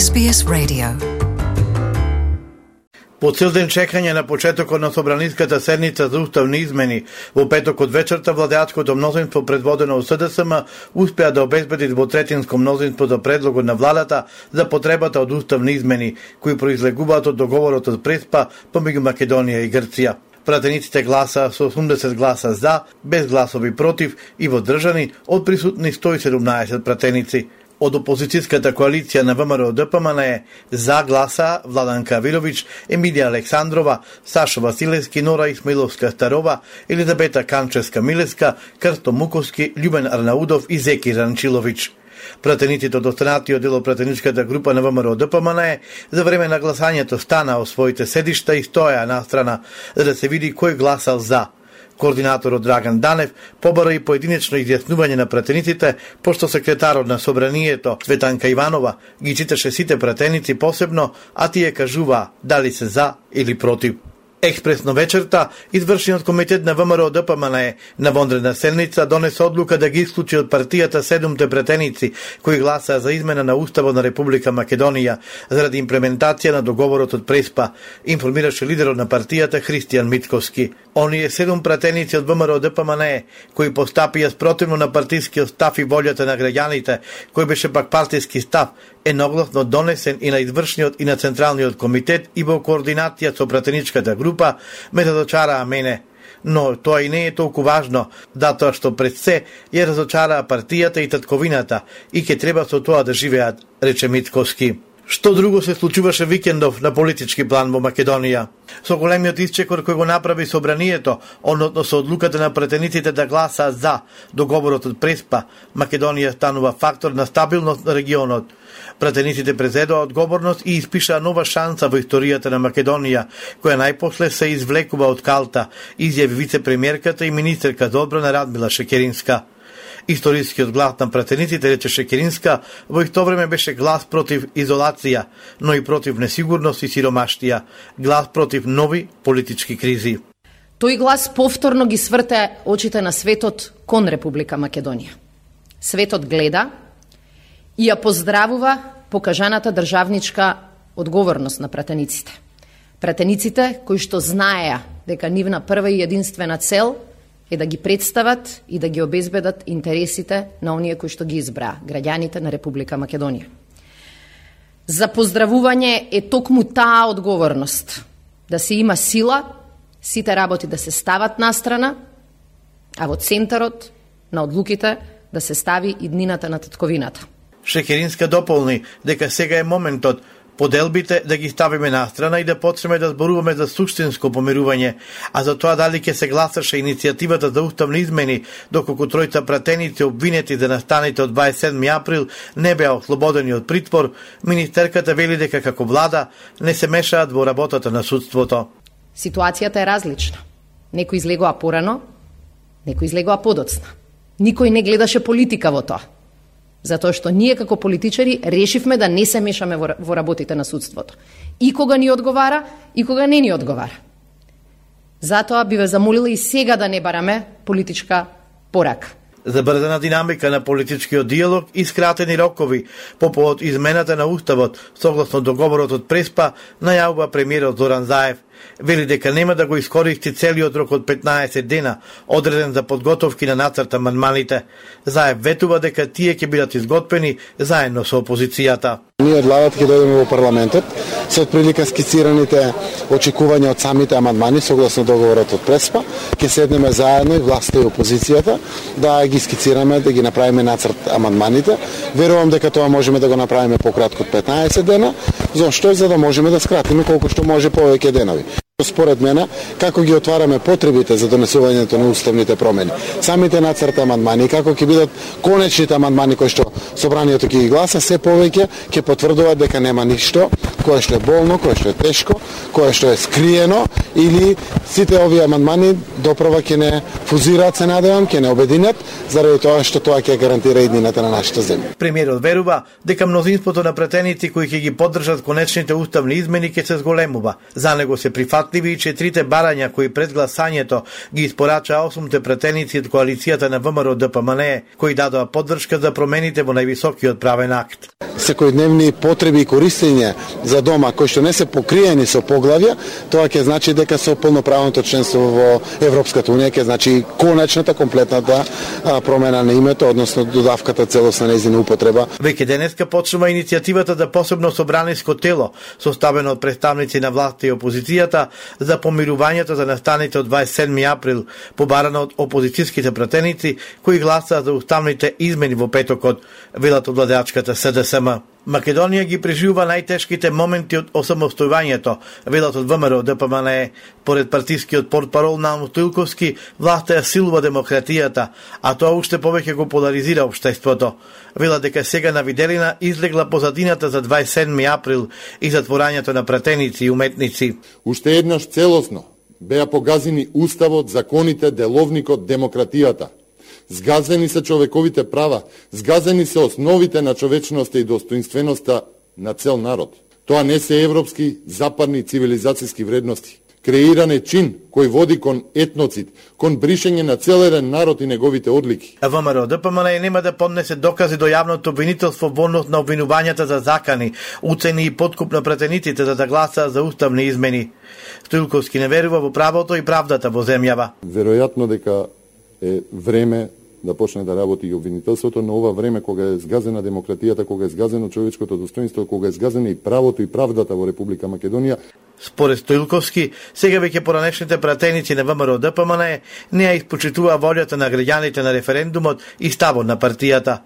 SBS Radio. По цел ден чекање на почетокот на собраниската седница за уставни измени, во петокот вечерта владеачкото мнозинство предводено од СДСМ успеа да обезбеди двотретинско мнозинство за предлогот на владата за потребата од уставни измени, кои произлегуваат од договорот од Преспа помеѓу Македонија и Грција. Пратениците гласа со 80 гласа за, без гласови против и воздржани од присутни 117 пратеници. Од опозицијската коалиција на ВМРО-ДПМН е за гласа Владанка Вилович, Емилија Александрова, Сашо Василевски, Нора Исмаиловска-Старова, Елизабета Канчевска-Милеска, Крсто Муковски, Љубен Арнаудов и Зеки Ранчилович. Пратениците од останатиот дел од пратеничката група на ВМРО-ДПМН за време на гласањето стана од своите седишта и стоја настрана за да се види кој гласал за. Координаторот Драган Данев побара и поединечно изјаснување на пратениците, пошто секретарот на собранието Светанка Иванова ги читаше сите пратеници посебно, а тие кажуваа дали се за или против. Експресно вечерта, извршниот комитет на ВМРО-ДПМН на вонредна седница донесе одлука да ги исклучи од партијата 7 пратеници кои гласаа за измена на Уставот на Република Македонија заради имплементација на договорот од Преспа, информираше лидерот на партијата Христијан Мицковски. Оние 7 пратеници од ВМРО-ДПМН кои постапија спротивно на партискиот став и волјата на граѓаните, кој беше пак партиски став, едногласно донесен и на извршниот и на централниот комитет и во координација со пратеничката група, ме разочараа мене. Но тоа и не е толку важно, затоа што пред се ја разочараа партијата и татковината и ќе треба со тоа да живеат, рече Мицковски. Што друго се случуваше викендов на политички план во Македонија? Со големиот исчекор кој го направи собранието, односно со одлуката на пратениците да гласаат за договорот од Преспа, Македонија станува фактор на стабилност на регионот. Пратениците презедоа одговорност и испишаа нова шанса во историјата на Македонија, која најпосле се извлекува од калта, изјави вице-премиерката и министерка за одбрана Радмила Шекеринска. Историскиот глас на пратениците, рече Шекеринска, во исто време беше глас против изолација, но и против несигурност и сиромаштија, глас против нови политички кризи. Тој глас повторно ги сврте очите на светот кон Република Македонија. Светот гледа и ја поздравува покажаната државничка одговорност на пратениците. Пратениците кои што знаеа дека нивна прва и единствена цел е да ги представат и да ги обезбедат интересите на оние кои што ги избраа, граѓаните на Република Македонија. За поздравување е токму таа одговорност, да се има сила, сите работи да се стават настрана, а во центарот на одлуките да се стави иднината на татковината. Шекеринска дополни дека сега е моментот поделбите да ги ставиме настрана и да почнеме да зборуваме за суштинско помирување, а за тоа дали ќе се гласаше иницијативата за уставни измени, доколку тројца пратеници обвинети за настаните од 27 април не беа ослободени од притвор, министерката вели дека како влада не се мешаат во работата на судството. Ситуацијата е различна. Некој излегоа порано, некој излегоа подоцна. Никој не гледаше политика во тоа. Затоа што ние како политичари решивме да не се мешаме во работите на судството. И кога ни одговара, и кога не ни одговара. Затоа би ве замолила и сега да не бараме политичка порака. Забрзана динамика на политичкиот диалог и скратени рокови по повод измената на Уставот согласно договорот од Преспа, најавува премиерот Зоран Заев. Вели дека нема да го искористи целиот рок од 15 дена, одреден за подготовки на нацрт амандманите. Заев ветува дека тие ќе бидат изготвени заедно со опозицијата. Ние од владата ќе дојдеме во парламентот со отприлика скицираните очекувања од самите амандмани согласно договорот од Преспа. Ќе седнеме заедно и власта и опозицијата да ги скицираме, да ги направиме нацрт амандманите. Верувам дека тоа можеме да го направиме пократко од 15 дена. Зошто? За да можеме да скратиме колку што може повеќе денови. Според мене, како ги отвараме потребите за донесувањето на уставните промени, самите нацрт амандмани, како ќе бидат конечните амандмани кои што собранието ќе ги гласа, се повеќе ќе потврдуваат дека нема ништо кое што е болно, кое што е тешко, кое што е скриено, или сите овие амандмани доправа ќе не фузираат, се надевам, ќе не обединат, заради тоа што тоа ќе гарантира иднината на нашата земја. Премиерот верува дека мнозинството на пратеници кои ќе ги поддржат конечните уставни измени ќе се зголемува. За него се прифатно прифатливи и 4 барања кои пред гласањето ги испорача 8 пратеници од коалицијата на ВМРО ДПМНЕ, кои дадоа поддршка за промените во највисокиот правен акт. Секојдневни потреби и користење за дома кои што не се покриени со поглавја, тоа ќе значи дека со полноправното членство во Европската унија ќе значи конечната комплетната промена на името, односно додавката целосна нејзина употреба. Веќе денеска почнува иницијативата за посебно собраниско тело, составено од представници на власта и опозицијата за помирувањето за настаните од 27 април, побарано од опозицијските пратеници кои гласаа за уставните измени во петокот, велат од владеачката СДСМ. Македонија ги преживува најтешките моменти од осамостојувањето, велат од ВМРО ДПМНЕ. Поред партискиот портпарол Наум Стоилковски, власта ја силува демократијата, а тоа уште повеќе го поларизира општеството. Велат дека сега на виделина излегла позадината за 27 април и затворањето на пратеници и уметници. Уште еднаш целосно беа погазени уставот, законите, деловникот, демократијата. Згазени се човековите права, згазени се основите на човечноста и достоинственоста на цел народ. Тоа не се европски, западни цивилизацијски вредности. Креиран е чин кој води кон етноцид, кон бришење на цел еден народ и неговите одлики. ВМРО ДПМНЕ нема да поднесе докази до јавното обвинителство во однос на обвинувањата за закани, уцени и подкуп на пратениците за да гласаа за уставни измени. Стоилковски не верува во правото и правдата во земјава. Веројатно дека е време да почне да работи и обвинителството, но ова време кога е згазена демократијата, кога е згазено човечкото достоинство, кога е згазено и правото и правдата во Република Македонија. Според Стоилковски, сега веќе поранешните пратеници на ВМРО ДПМНЕ не ја испочитува волјата на граѓаните на референдумот и ставот на партијата.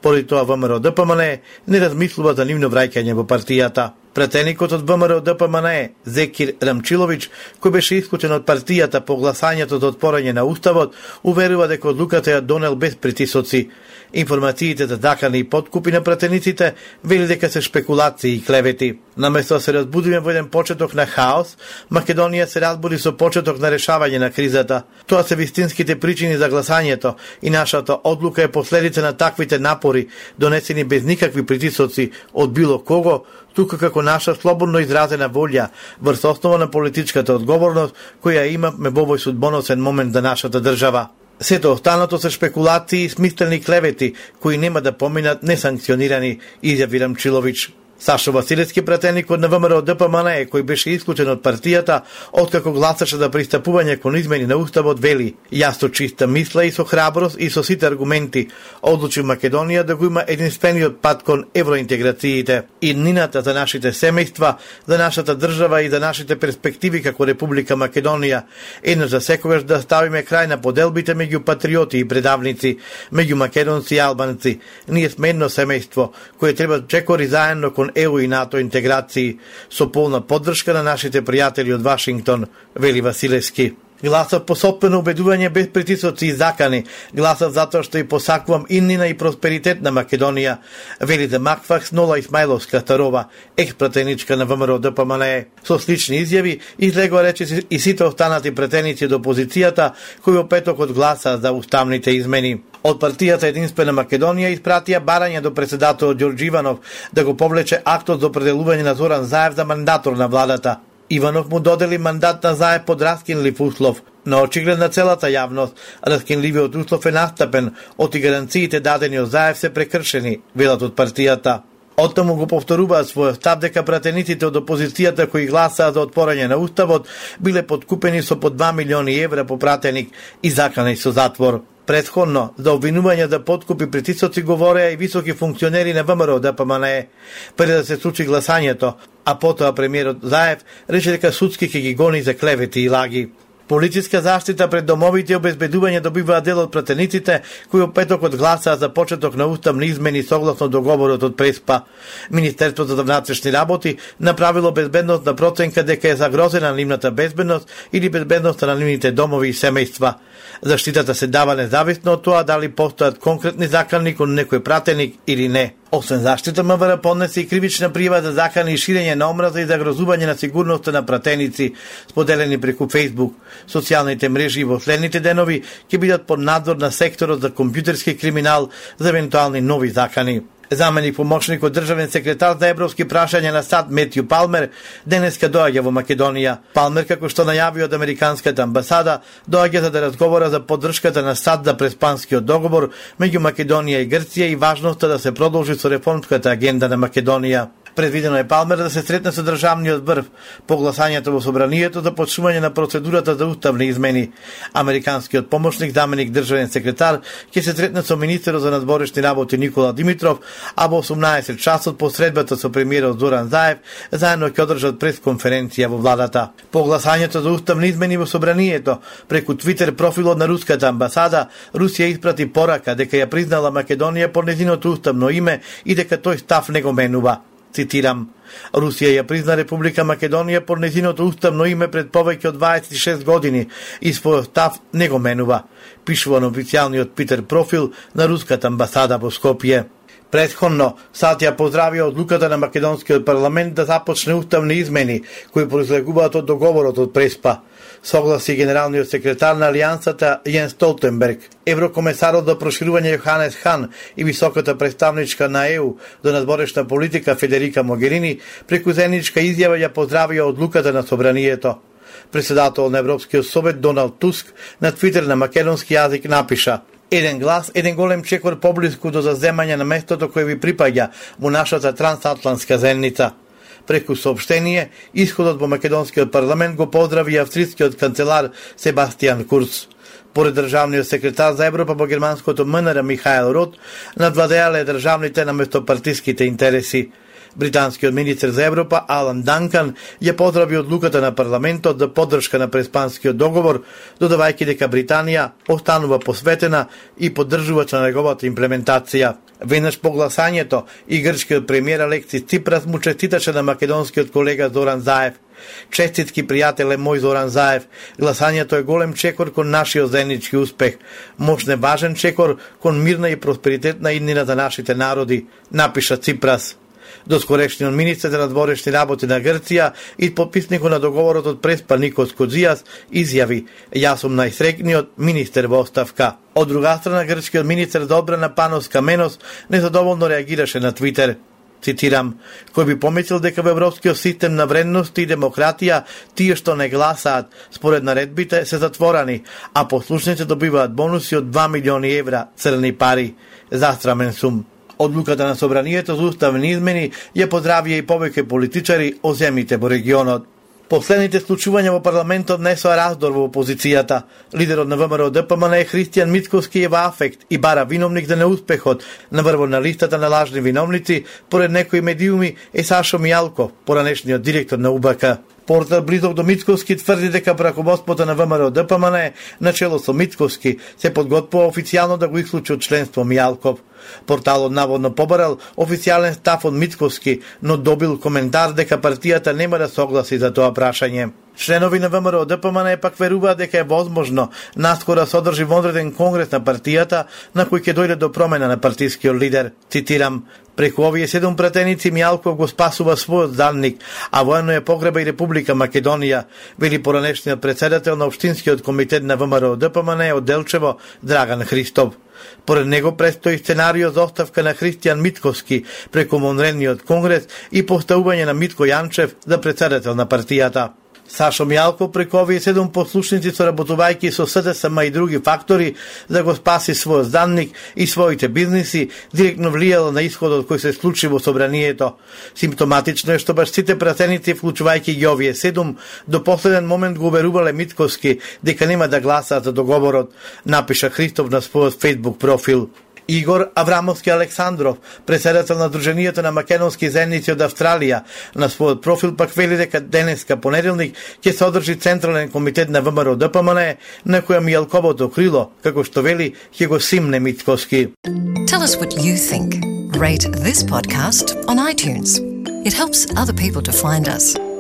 Поради тоа ВМРО ДПМНЕ не размислува за нивно враќање во партијата. Пратеникот од ВМРО ДПМНЕ, Зекир Рамчилович, кој беше исклучен од партијата по гласањето за отпорање на уставот, уверува дека одлуката ја донел без притисоци. Информациите за закани и подкупи на пратениците вели дека се шпекулации и клевети. Наместо да се разбудиме во еден почеток на хаос, Македонија се разбуди со почеток на решавање на кризата. Тоа се вистинските причини за гласањето и нашата одлука е последица на таквите напори, донесени без никакви притисоци од било кого, тука како наша слободно изразена волја врз основа на политичката одговорност која имаме во овој судбоносен момент за нашата држава. Сето останато се шпекулации и смислени клевети кои нема да поминат несанкционирани, изјави Рамчилович. Сашо Василевски, пратеник од ВМРО ДПМНЕ, кој беше исклучен од партијата, откако гласаше за пристапување кон измени на уставот, вели: "Јас со чиста мисла и со храброст и со сите аргументи одлучи Македонија да го има единствениот пат кон евроинтеграциите. Иднината за нашите семејства, за нашата држава и за нашите перспективи како Република Македонија, еднаш за секогаш да ставиме крај на поделбите меѓу патриоти и предавници, меѓу македонци и албанци. Ние сме едно семејство кое треба чекори заедно кон ЕУ и НАТО интеграции со полна поддршка на нашите пријатели од Вашингтон", вели Василевски. Гласав по сопствено убедување без притисоци и закани. Гласав затоа што и посакувам иднина и просперитет на Македонија, вели за Макфакс Нола Исмајловска-Старова, екс-пратеничка на ВМРО ДПМНЕ. Со слични изјави излегоа речи и сите останати пратеници од опозицијата кои во петокот гласаа за уставните измени. Од партијата Единствена Македонија испратија барање до председателот Ѓорѓе Иванов да го повлече актот за определување на Зоран Заев за мандатор на владата. Иванов му додели мандат на Заев под раскинлив услов. На очиглед на целата јавност, раскинливиот услов е настапен, оти гаранциите дадени од Заев се прекршени, велат од партијата. Оттаму го повторуваат својот став дека пратениците од опозицијата кои гласаа за отпорање на уставот биле подкупени со по 2 милиони евра по пратеник и заканени со затвор. Претходно, за обвинување за подкупи притисоци говореа и високи функционери на ВМРО ДПМНЕ, пред да се случи гласањето, а потоа премиерот Заев рече дека судски ќе ги гони за клевети и лаги. Полициска заштита пред домовите и обезбедување добиваа дел од пратениците кои во петокот гласаа за почеток на уставни измени согласно договорот од Преспа. Министерството за внатрешни работи направило безбедносна проценка дека е загрозена нивната безбедност или безбедноста на нивните домови и семејства. Заштитата се дава независно од тоа дали постојат конкретни закани кон некој пратеник или не. Освен заштита, МВР поднесе и кривична пријава за закани и ширење на омраза и загрозување на сигурноста на пратеници, споделени преку Facebook. Социјалните мрежи во следните денови ќе бидат под надзор на секторот за компјутерски криминал за евентуални нови закани. Заменик помошникот државен секретар за европски прашања на САД Метју Палмер денеска доаѓа во Македонија. Палмер, како што најави од американската амбасада, доаѓа за да разговара за поддршката на САД за преспанскиот договор меѓу Македонија и Грција и важноста да се продолжи со реформската агенда на Македонија. Предвидено е Палмер да се сретне со државниот врв по гласањето во собранието за почнување на процедурата за уставни измени. Американскиот помошник, заменик државен секретар, ќе се сретне со министерот за надворешни работи Никола Димитров, а во 18 часот по средбата со премиерот Зоран Заев заедно ќе одржат пресконференција во владата. По гласањето за уставни измени во собранието, преку Твитер профилот на руската амбасада, Русија испрати порака дека ја признала Македонија по нејзиното уставно име и дека тој став не го менува. Цитирам: Русија ја призна Република Македонија по нејзиното уставно име пред повеќе од 26 години и својот став не го менува, пишува на официјалниот Твитер профил на руската амбасада во Скопје. Претходно, САД ја поздравија одлуката на македонскиот парламент да започне уставни измени кои произлегуваат од договорот од Преспа, согласи генералниот секретар на Алијансата Јен Столтенберг. Еврокомесарот за проширување Јоханес Хан и високата представничка на ЕУ за надворешна политика Федерика Могерини преку заедничка изјава ја поздравија одлуката на собранието. Председател на Европскиот совет Доналд Туск на Твитер на македонски јазик напиша: еден глас, еден голем чекор поблиску до заземање на местото кое ви припаѓа во нашата трансатлантска заедница. Преку соопштение, исходот во македонскиот парламент го поздрави австрискиот канцелар Себастијан Курц. Поред државниот секретар за Европа во германското МНР Михаел Рот, надвладеале државните наместопартиските интереси. Британскиот министер за Европа Алан Данкан ја поздрави одлуката на парламентот за поддршка на преспанскиот договор, додавајќи дека Британија останува посветена и поддржувач на неговата имплементација. Веднаш по гласањето и грчкиот премиер Алексис Ципрас му честиташе на македонскиот колега Зоран Заев. Честитки, пријателе мој Зоран Заев, гласањето е голем чекор кон нашиот заеднички успех, мощне важен чекор кон мирна и просперитетна иднина за нашите народи, напиша Ципрас. Доскорешниот министер за надворешни работи на Грција и подписникот на договорот од Преспа Никос Коджијас изјави: јас сум најсреќниот министер во оставка. Од друга страна, грчкиот министер за одбрана Панос Каменос незадоволно реагираше на Твитер. Цитирам: кој би помислил дека во европскиот систем на вредности и демократија тие што не гласаат според наредбите се затворени, а послушници добиваат бонуси од 2 милиони евра црни пари. Застрамен сум. Одлуката на собранието за уставни измени ја поздравија и повеќе политичари од земјите во регионот. Последните случувања во парламентот несоа раздор во опозицијата. Лидерот на ВМРО ДПМН е Христијан Мицкоски е во афект и бара виновник за неуспехот наврво на листата на лажни виновници, поред некои медиуми е Сашо Мијалков, поранешниот директор на УБК. Портал близок до Мицкоски тврди дека раководството на ВМРО ДПМН начело со Мицкоски се подготвува официјално да го исклучи од членство Мијалков. Порталот наводно побарал официјален став од Мицкоски, но добил коментар дека партијата нема да согласи за тоа прашање. Членови на ВМРО ДПМН пак веруваат дека е возможно наскоро да се одржи вонреден конгрес на партијата на кој ќе дојде до промена на партискиот лидер. Цитирам: преку овие 7 пратеници Мијалков го спасува својот данник, а воено е погреба и Република Македонија, вели поранешниот председател на Општинскиот комитет на ВМРО ДПМН од Делчево Драган Христов. Поред него престои сценарио за оставка на Христијан Мицкоски преку вонредниот конгрес и поставување на Митко Јанчев за председател на партијата. Сашо Мијалков преку овие 7 послушници соработувајќи со СДСМ и други фактори за го спаси својот данник и своите бизниси, директно влијало на исходот кој се случи во собранието. Симптоматично е што баш сите пратеници, вклучувајќи ги овие 7, до последен момент го уверувале Мицкоски дека нема да гласаат за договорот, напиша Христов на својот Facebook профил. Игор Аврамовски Александров, председател на Друженијето на македонски заедници од Австралија, на својот профил пак вели дека денеска понеделник ќе се одржи Централен комитет на ВМРО ДПМН, на која Мијалковото крило, како што вели, ќе го симне Мицкоски. Tell us what you think. Rate this podcast on iTunes. It helps other people to find us.